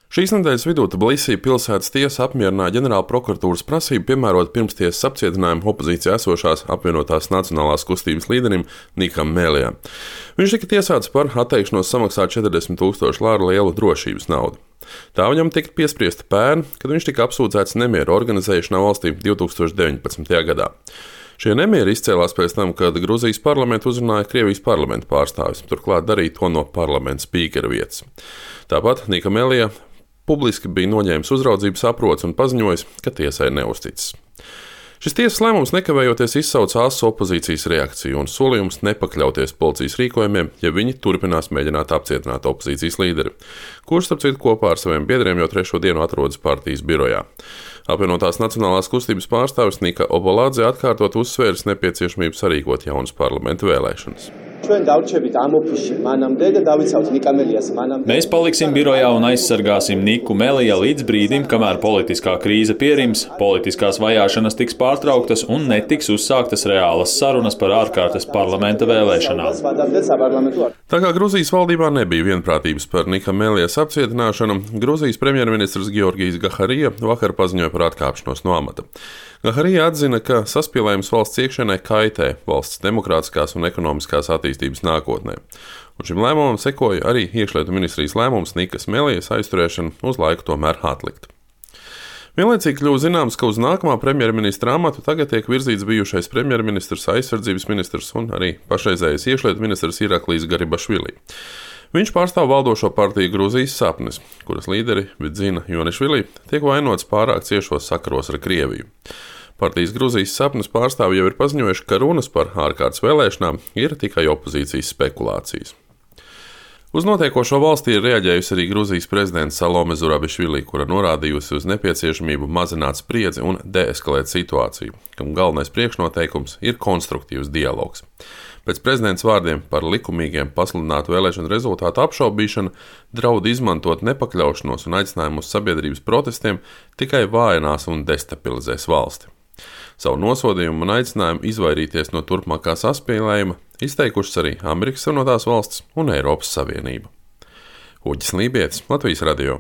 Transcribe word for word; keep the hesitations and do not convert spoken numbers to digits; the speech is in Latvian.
Šīs nedēļas vidū Tbilisī pilsētas tiesa apmierināja ģenerāla prokuratūras prasību piemērot pirmstiesas apcietinājumu opozīcijā esošās apvienotās nacionālās kustības līderim Nikam Mēlijam. Viņš tika tiesāts par atteikšanos samaksāt četrdesmit tūkstošu lāru lielu drošības naudu. Tā viņam tika piespriesta pērn, kad viņš tika apsūdzēts nemieru organizēšanā valstī divtūkstoš deviņpadsmitajā gadā. Šie nemieri izcēlās pēc tam, kad Gruzijas parlamentu uzrunāja Krievijas parlamenta pārstāvis, turklāt darīja to no parlamenta spīkera vietas. Tāpat Nika Mēlijā publiski bija noņēmis uzraudzības aproci un paziņojis, ka tiesai neuzticis. Šis tiesas lēmums nekavējoties izsauca asu opozīcijas reakciju un solījums nepakļauties policijas rīkojumiem, ja viņi turpinās mēģināt apcietināt opozīcijas līderi, kurš, starp citu, kopā ar saviem biedriem jau trešo dienu atrodas partijas birojā. Apvienotās nacionālās kustības pārstāvis Nika Obolādze atkārtot uzsvēris nepieciešamību sarīkot jaunas parlamenta vēlēšanas. Mēs paliksim birojā un aizsargāsim Niku Mēlijā līdz brīdim, kamēr politiskā krīze pierims, politiskās vajāšanas tiks pārtrauktas un netiks uzsāktas reālas sarunas par ārkārtas parlamenta vēlēšanām. Tā kā Gruzijas valdībā nebija vienprātības par Nika Mēlijas apcietināšanu, Gruzijas premjerministrs Georgijs Gaharija vakar paziņoja par atkāpšanos no amata. Gaharija atzina, ka saspīlējums valsts iekšienē kaitē valsts demokrātiskās un ekonomiskās attīstības nākotnē. Un šim lēmumam sekoja arī iekšlietu ministrijas lēmums Nikas Mēlijas aizturēšanu uz laiku tomēr atlikt. Vienlaicīgi kļuva zināms, ka uz nākamā premjerministra amatu tagad tiek virzīts bijušais premjerministrs, aizsardzības ministrs un arī pašreizējais iekšlietu ministrs Iraklijs Garibašvili. Viņš pārstāv valdošo partiju Gruzijas sapnis, kuras līderi Vidzina Jonišvili tiek vainots pārāk ciešos sakaros ar Krieviju. Partijas Gruzijas sapnis pārstāvji jau ir paziņojuši, ka runas par ārkārtas vēlēšanām ir tikai opozīcijas spekulācijas. Uz notiekošo valstī ir reaģējusi arī Gruzijas prezidents Salome Zurabišvili, kura norādījusi uz nepieciešamību mazināt spriedzi un deeskalēt situāciju, kam galvenais priekšnoteikums ir konstruktīvs dialogs. Pēc prezidents vārdiem par likumīgiem pasludinātu vēlēšanu rezultātu apšaubīšanu draud izmantot nepakļaušanos un aicinājumu uz sabiedrības protestiem tikai vājinās un destabilizēs valsti. Savu nosodījumu un aicinājumu izvairīties no turpmākā saspīlējuma izteikušas arī Amerikas Savienotās valstis un Eiropas Savienība. Uģis Lībietis, Latvijas radio.